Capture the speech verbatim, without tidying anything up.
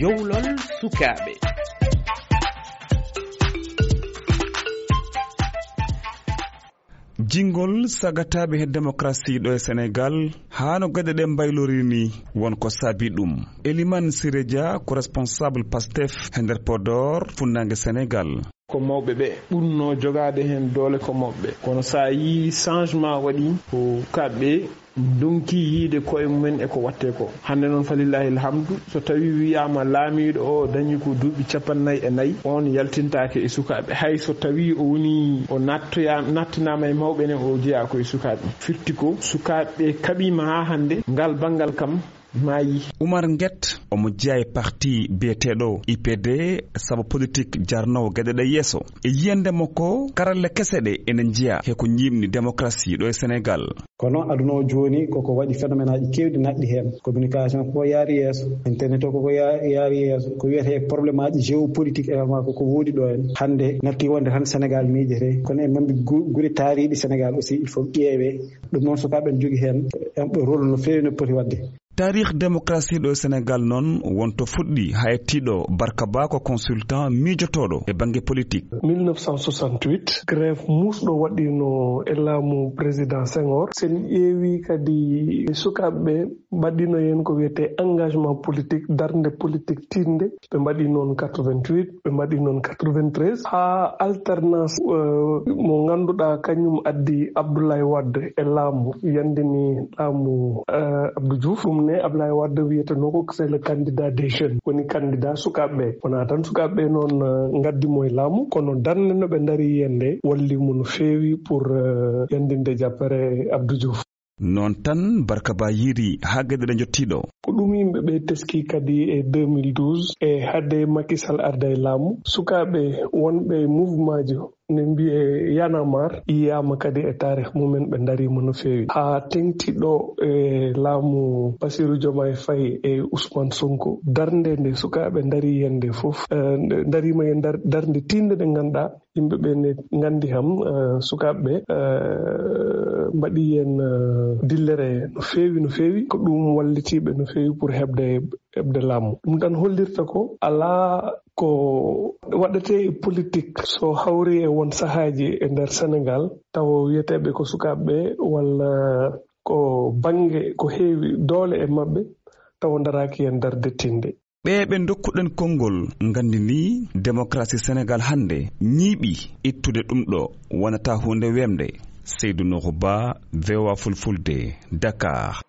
Dowlol sukaaɓe. Jingol sagataaɓe he démocratie ɗo e Sénégal, haa no geɗe ɗe mbaylorii ni, won ko saabi ɗum. Elimane Siré Dia ko responsable Pastef he nder Podor, funnaange Sénégal. Ko mawɓe ɓe ɓurnoo jogaade heen doole ko mawɓe. Kono so a yii changement waɗi ko sukaaɓe ɓe ndonki yiide koye mumen e ko waɗtee ko. Hannde noon, falillahi alhamdu, so tawii wiyaama laamiiɗo o dañi ko duuɓi capanɗe nayi e nayi, oon yaltintaake e sukaaɓe. Hay so tawii o woni, o nattoya-, nattinaama e mawɓe ne, o jeyaa ko e sukaaɓe. Firti ko sukaaɓe ɓe kaɓiima haa hannde, ngal banngal kam maayi. Oumar Nguet, omo jeyaa e parti biyeteeɗo I P D, sabu politik jarnoowo geɗe ɗe yeeso. E yiyannde makko, karalle kese ɗe ene njeyaa he ko ñiiɓni démocratie ɗo e Sénégal. Kono aduna o jooni koko waɗi phénomène aji keewɗi naatɗi heen. Communication koko yaari yeeso, internet o koko ya-, yaari yeeso. Ko wiyetee problème aji géopolitique également koko woodi ɗo heen. Hannde natti wonde tan Sénégal miijete, kono e mambi gu-, gure taariiɗe Sénégal aussi, il faut ƴeewee. Ɗum noon sukaaɓe ɓe njogii heen, eh, rôle no feewi no poti waɗde. Taarih démocratie ɗo e Sénégal noon wonto fuɗɗi haa yettii ɗo. Barka Ba ko consultant miijotooɗo e bannge politique. Mille neuf cent soixante-huit, grève muusɗo waɗiino e laamu président Senghor. Sen ƴeewi kadi sukaaɓe ɓe mbaɗiino heen ko wiyetee engagement politique, darnde politique tiiɗnde. Ɓe mbaɗi noon quatre-vingt-huit, ɓe mbaɗi noon quatre-vingt-treize, haa alternance, eh, mo ngannduɗaa kañum addi Abdoulaye Wade e laamu, yanndini laamu, eh, Abdou Diouf. Ɗum ne Abdoulaye Wade wiyetenoo ko c'est le candidat des jeunes, woni candidat sukaaɓe ɓe. Wonaa tan sukaaɓe ɓe noon, eh, ngaddi mo e laamu, kono darnde no ɓe ndarii heen nde walli mo no feewi pour, eh, yanndinde jappere Abdou Diouf. Noon tan, Barka Ba yiiri haa geɗe ɗe njottii ɗo. Ko ɗum yimɓe ɓe teskii kadi e deux mille douze, e hade Macky Sall arda e laamu, sukaaɓe wonɓe e mouvement ji ne mbiyee Y'en a marre, yiyaama kadi e taarih mumen, ɓe ndariima no feewi. Haa teŋti ɗo e laamu Bassirou Diomaye Faye e Ousmane Sonko, darnde nde sukaaɓe ndarii heen nde fof, eh, nde ndariima e ndar-, darnde tiiɗnde nde ngannduɗaa, yimɓe ɓe ne nganndi kam, eh, sukaaɓe ɓe, eh, mbaɗi heen, eh, dillere no feewi, no feewi. Ko ɗum walliti ɓe no feewi pour heɓde, heɓde laamu. Ɗum tan hollirta ko alaa ko waɗetee e politik so hawri e won sahaaji e nder Senegaal, tawa wiyeteeɓe ko sukaaɓe ɓe walla ko bannge ko heewi doole e maɓɓe, tawa ndaraaki heen darnde tiiɗnde. Ɓe ɓe ndokkuɗen konngol nganndi ni, démocratie Senegaal hannde ñiiɓi ittude ɗum ɗo wonata huunde weemde. Seydou Nourou Ba, V O A Fulfulde, Dakar.